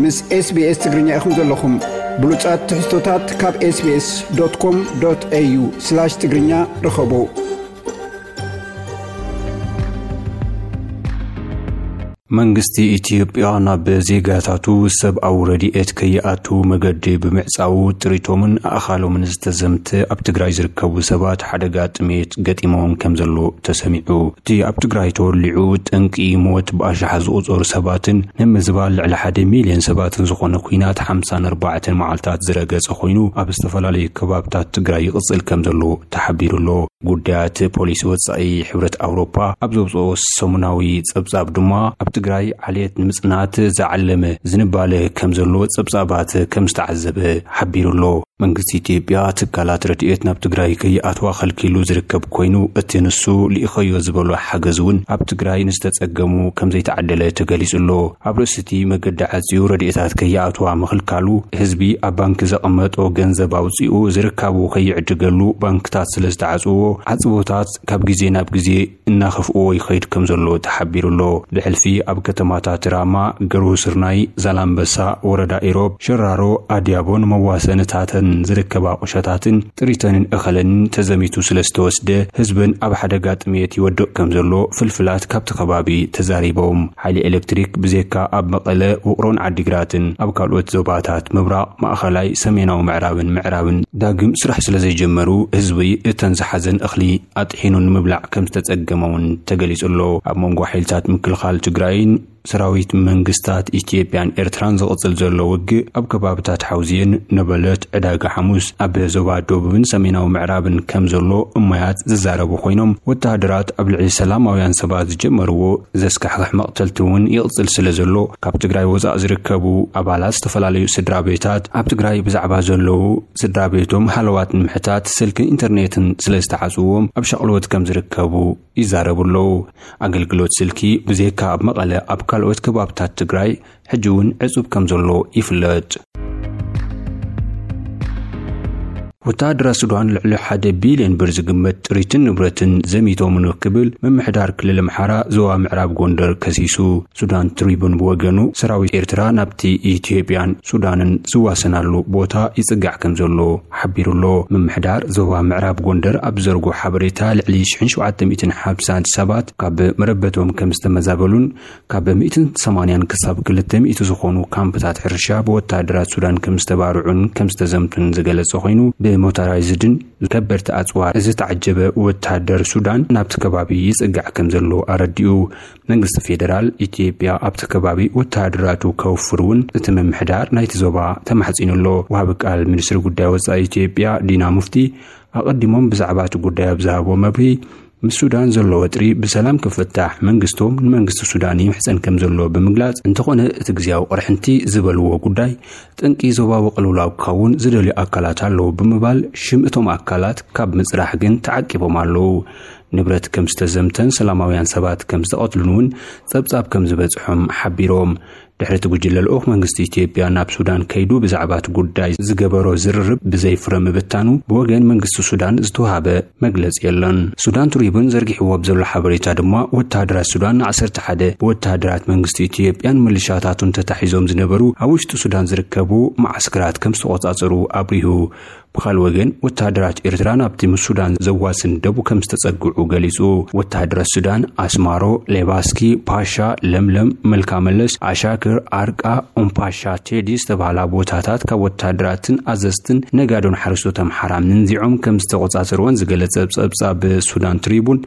ምስ SBS ትግርኛ ኢኹም ዘለኹም። ብሉጻት ትሕዝቶታት ካብ SBS.com.au/ትግርኛ ርኸቡ። መንግስቲ ኢትዮጵያ ናብ ዜጋታቱ ሰብኣዊ ረድኤት ከይኣቱ መገዲ ብምዕጻዉ ጥሪቶምን ኣእኻሎምን ዝተዘምተ ኣብ ትግራይ ዝርከቡ ሰባት ሓደጋ ጥሜት ገጢሞም ከም ዘሎ ተሰሚዑ። እቲ ኣብ ትግራይ ተወሊዑ ጠንቂ ሞት ብኣሽሓት ዝቑጸሩ ሰባትን ንምዝባል ልዕሊ ሓደ ሚልዮን ሰባትን ዝኾነ ኲናት ሓምሳን ኣርባዕተን መዓልታት ዝረገጸ ኮይኑ ኣብ ዝተፈላለዩ ከባብታት ትግራይ ይቕጽል ከም ዘሎ ተሓቢሩ ኣሎ። ጉዳያት ፖሊሲ ወጻኢ ሕብረት ኣውሮፓ ኣብ ዘውፅኦ ሰሙናዊ ጸብጻብ ድማ ኣብ ትግራይ ዓሌት ንምጽናት ዝዓለመ ዝንባለ ከም ዘሎ ጸብጻባት ከም ዝተዓዘበ ሓቢሩ ኣሎ። መንግስቲ ኢትዮጵያ ትካላት ረድኤት ናብ ትግራይ ከይኣትዋ ከልኪሉ ዝርከብ ኮይኑ እቲ ንሱ ልኢኸዮ ዝበሎ ሓገዝ እውን ኣብ ትግራይ ንዝተጸገሙ ከም ዘይተዓደለ ተገሊጹ ኣሎ። ኣብ ርእሲ እቲ መገዲ ዓጽዩ ረድኤታት ከይኣትዋ ምኽልካሉ ህዝቢ ኣብ ባንክ ዘቐመጦ ገንዘብ ኣውጺኡ ዝርካቡ ከይዕድገሉ ባንክታት ስለ ዝተዓጽዎ ዓጽቦታት ካብ ግዜ ናብ ግዜ እናኸፍእዎ ይኸይድ ከም ዘሎ ተሓቢሩ ኣሎ። ብሕልፊ ኣብ ከተማታት ራማ፣ ገርሁ ስርናይ፣ ዛላምበሳ፣ ወረዳ ኢሮብ፣ ሸራሮ፣ ኣድያቦን መዋሰንታተን ዝርከባ ቁሸታትን ጥሪተንን እኸለንን ተዘሚቱ ስለ ዝተወስደ ህዝብን ኣብ ሓደጋ ጥሜት ይወድቕ ከም ዘሎ ፍልፍላት ካብቲ ከባቢ ተዛሪቦም። ሓይሊ ኤሌክትሪክ ብዜካ ኣብ መቐለ፣ ውቕሮን ዓዲግራትን ኣብ ካልኦት ዞባታት ምብራቕ፣ ማእኸላይ፣ ሰሜናዊ ምዕራብን ምዕራብን ዳግም ስራሕ ስለ ዘይጀመሩ ህዝቢ እተን ዝሓዘን እኽሊ ኣጥሒኑ ንምብላዕ ከም ዝተጸገመ እውን ተገሊጹ ኣሎ። ኣብ መንጎ ሓይልታት ምክልኻል ትግራይን ሰራዊት መንግስታት ኢትዮጵያን ኤርትራን ዝቕጽል ዘሎ ውግእ ኣብ ከባብታት ሓውዜን፣ ነበለት፣ ዕዳጋ ሓሙስ፣ ኣብ ዞባ ደቡብን ሰሜናዊ ምዕራብን ከም ዘሎ እማያት ዝዛረቡ ኮይኖም ወተሃደራት ኣብ ልዕሊ ሰላማውያን ሰባት ዝጀመርዎ ዘስካሕክሕ መቕተልቲ እውን ይቕጽል ስለ ዘሎ ካብ ትግራይ ወጻእ ዝርከቡ ኣባላት ዝተፈላለዩ ስድራ ቤታት ኣብ ትግራይ ብዛዕባ ዘለዉ ስድራ ቤቶም ሃለዋት ንምሕታት ስልክን ኢንተርኔትን ስለ ዝተዓጽዎም ኣብ ሻቕሎት ከም ዝርከቡ ይዛረቡ ኣለዉ። ኣገልግሎት ስልኪ ብዜካ ኣብ መቐለ ኣብ ካልኦት ከባብታት ትግራይ ሕጂ እውን ዕጹብ ከም ዘሎ ይፍለጥ። ወተሃደራት ሱዳን ልዕሊ ሓደ ቢልዮን ብር ዝግመት ጥሪትን ንብረትን ዘሚቶም ክብል ምምሕዳር ክልል ኣምሓራ ዞባ ምዕራብ ጎንደር ከሲሱ። ሱዳን ትሪቡን ብወገኑ ሰራዊት ኤርትራ ናብቲ ኢትዮጵያን ሱዳንን ዝዋሰናሉ ቦታ ይጽጋዕ ከም ዘሎ ሓቢሩ ኣሎ። ምምሕዳር ዞባ ምዕራብ ጎንደር ኣብ ዘርጎ ሓበሬታ ልዕሊ ሽሕን ሸውዓተ ሚእትን ሓምሳን ሰባት ካብ መረበቶም ከም ዝተመዛበሉን ካብ ሚእትን ሰማንያን ክሳብ ክልተ ሚእቲ ዝኾኑ ካምፕታት ሕርሻ ብወተሃደራት ሱዳን ከም ዝተባርዑን ከም ዝተዘምቱን ዝገለጸ ኮይኑ ብሞተራይዝድን ከበድቲ ኣጽዋር ዝተዓጀበ ወተሃደር ሱዳን ናብቲ ከባቢ ይጽጋዕ ከም ዘሎ ኣረዲኡ። መንግስቲ ፌደራል ኢትዮጵያ ኣብቲ ከባቢ ወተሃደራቱ ከውፍር እውን እቲ ምምሕዳር ናይቲ ዞባ ተማሕጺኑ ኣሎ። ወሃቢ ቃል ሚኒስትሪ ጉዳይ ወጻኢ ኢትዮጵያ ዲና ሙፍቲ ኣቐዲሞም ብዛዕባ እቲ ጉዳይ ኣብ ዝሃቦ መብርሂ ምስ ሱዳን ዘሎ ወጥሪ ብሰላም ክፍታሕ መንግስቶም ንመንግስቲ ሱዳን ይምሕጸን ከም ዘሎ ብምግላጽ እንተኾነ እቲ ግዜያዊ ቅርሕንቲ ዝበልዎ ጉዳይ ጠንቂ ዞባዊ ቅልውላው ክኸውን ዝደልዩ ኣካላት ኣለዉ ብምባል ሽም እቶም ኣካላት ካብ ምጽራሕ ግን ተዓቂቦም ኣለዉ። ንብረት ከም ዝተዘምተን ሰላማውያን ሰባት ከም ዝተቐትሉን እውን ጸብጻብ ከም ዝበጽሖም ሓቢሮም። ድሕሪ እቲ ጉጅለ ልኡኽ መንግስቲ ኢትዮጵያ ናብ ሱዳን ከይዱ ብዛዕባ እቲ ጉዳይ ዝገበሮ ዝርርብ ብዘይ ፍረ ምብታኑ ብወገን መንግስቲ ሱዳን ዝተውሃበ መግለጺ የለን። ሱዳን ትሪቡን ዘርጊሕዎ ኣብ ዘሎ ሓበሬታ ድማ ወተሃደራት ሱዳን ንዓሰርተ ሓደ ብወተሃደራት መንግስቲ ኢትዮጵያን ምልሻታቱን ተታሒዞም ዝነበሩ ኣብ ውሽጢ ሱዳን ዝርከቡ መዓስከራት ከም ዝተቖጻጸሩ ኣብሪሁ። ብኻልእ ወገን ወተሃደራት ኤርትራ ናብቲ ምስ ሱዳን ዘዋስን ደቡብ ከም ዝተጸግዑ ገሊጹ። ወተሃደራት ሱዳን ኣስማሮ፣ ሌባስኪ፣ ፓሻ፣ ለምለም፣ መልካ መለስ፣ ኣሻክር፣ ኣርቃ፣ ኡምፓሻ፣ ቴዲ ዝተባህላ ቦታታት ካብ ወተሃደራትን ኣዘዝትን ነጋዶን ሓረስቶት ኣምሓራ ምንዚዖም ከም ዝተቖጻጸርወን ዝገለጸ ጸብጻብ ሱዳን ትሪቡን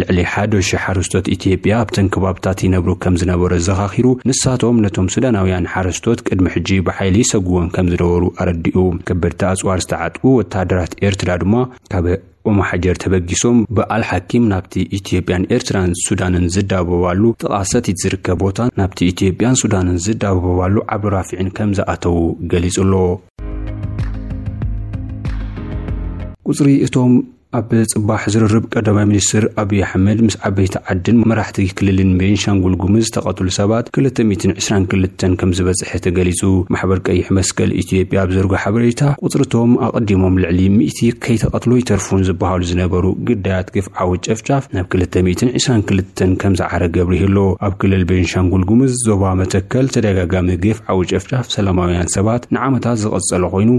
ልዕሊ ሓደ ሺሕ ሓረስቶት ኢትዮጵያ ኣብተን ከባብታት ይነብሩ ከም ዝነበሩ ዘኻኺሩ፣ ንሳቶም ነቶም ሱዳናውያን ሓረስቶት ቅድሚ ሕጂ ብሓይሊ ይሰጉዎም ከም ዝነበሩ ኣረዲኡ። ከበድቲ ኣጽዋር ዝተዓጥቁ ወተሃደራት ኤርትራ ድማ ካብ ኦማሓጀር ተበጊሶም ብኣል ሓኪም ናብቲ ኢትዮጵያን ኤርትራን ሱዳንን ዝዳበባሉ ጥቓ ሰቲት ዝርከብ ቦታ ናብቲ ኢትዮጵያን ሱዳንን ዝዳበባሉ ዓብዱ ራፊዕን ከም ዝኣተዉ ገሊጹ ኣሎ። ቁጽሪ እቶም ኣብ ጽባሕ ዝርርብ ቀዳማይ ሚኒስትር ኣብይ ኣሕመድ ምስ ዓበይቲ ዓድን መራሕቲ ክልልን ቤንሻንጉል ጉምዝ ዝተቐትሉ ሰባት ክልተ ሚእትን ዕስራን ክልተን ከም ዝበጽሐ ተገሊጹ። ማሕበር ቀይሕ መስቀል ኢትዮጵያ ኣብ ዘርጎ ሓበሬታ፣ ቁጽርቶም ኣቐዲሞም ልዕሊ ሚእቲ ከይተቐትሎ ይተርፉን ዝበሃሉ ዝነበሩ ግዳያት ግፍዓዊ ጨፍጫፍ ናብ ክልተ ሚእትን ዕስራን ክልተን ከም ዝዓረገ ኣብሪሁ ኣሎ። ኣብ ክልል ቤንሻንጉል ጉምዝ ዞባ መተከል ተደጋጋሚ ግፍዓዊ ጨፍጫፍ ሰላማውያን ሰባት ንዓመታት ዝቐጸለ ኮይኑ፣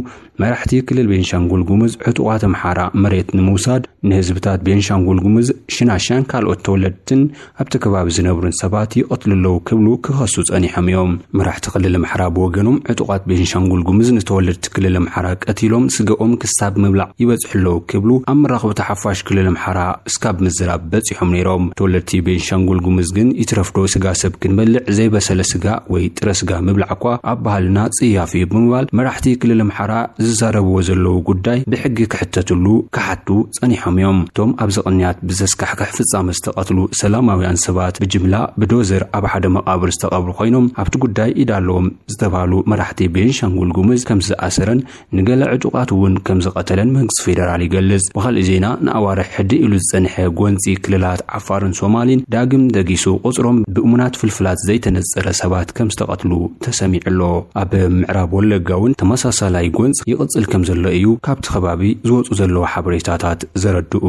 መራሕቲ ክልል ቤንሻንጉል ጉምዝ ዕጡቓት ኣምሓራ መሬት ንምውሳድ ንህዝብታት ቤንሻንጉል ጉምዝ ሽናሻን ካልኦት ተወለድትን ኣብቲ ከባቢ ዝነብሩን ሰባት ይቐትሉ ኣለዉ ክብሉ ክኸሱ ጸኒሖም እዮም። መራሕቲ ክልል ኣምሓራ ብወገኖም ዕጡቓት ቤንሻንጉል ጉምዝ ንተወለድቲ ክልል ኣምሓራ ቀቲሎም ስገኦም ክሳብ ምብላዕ ይበጽሑ ኣለዉ ክብሉ ኣብ መራኸብቲ ሓፋሽ ክልል ኣምሓራ እስካብ ምዝራብ በጺሖም ነይሮም። ተወለድቲ ቤንሻንጉል ጉምዝ ግን ይትረፍዶ ስጋ ሰብ ክንበልዕ ዘይበሰለ ስጋ ወይ ጥረ ስጋ ምብላዕ እኳ ኣብ ባህልና ጽያፍ እዩ ብምባል መራሕቲ ክልል ኣምሓራ ዝዛረብዎ ዘለዉ ጉዳይ ብሕጊ ክሕተትሉ ክሓቱ ጸኒሖም እዮም። እቶም ኣብዚ ቅንያት ብዘስካሕክሕ ፍጻመ ዝተቐትሉ ሰላማውያን ሰባት ብጅምላ ብዶዘር ኣብ ሓደ መቓብር ዝተቐብሩ ኮይኖም ኣብቲ ጉዳይ ኢድ ኣለዎም ዝተባህሉ መራሕቲ ቤንሻንጉል ጉምዝ ከም ዝኣሰረን ንገለ ዕጡቓት እውን ከም ዝቐተለን መንግስቲ ፌደራል ይገልጽ። ብኻልእ ዜና ንኣዋርሕ ሕድእ ኢሉ ዝጸንሐ ጎንጺ ክልላት ዓፋርን ሶማሊን ዳግም ደጊሱ ቁጽሮም ብእሙናት ፍልፍላት ዘይተነጸረ ሰባት ከም ዝተቐትሉ ተሰሚዑ ኣሎ። ኣብ ምዕራብ ወለጋ እውን ተመሳሳላይ ጎንጽ ይቕጽል ከም ዘሎ እዩ ካብቲ ከባቢ ዝወጹ ዘለዉ ሓበሬታታት ዘረድኡ።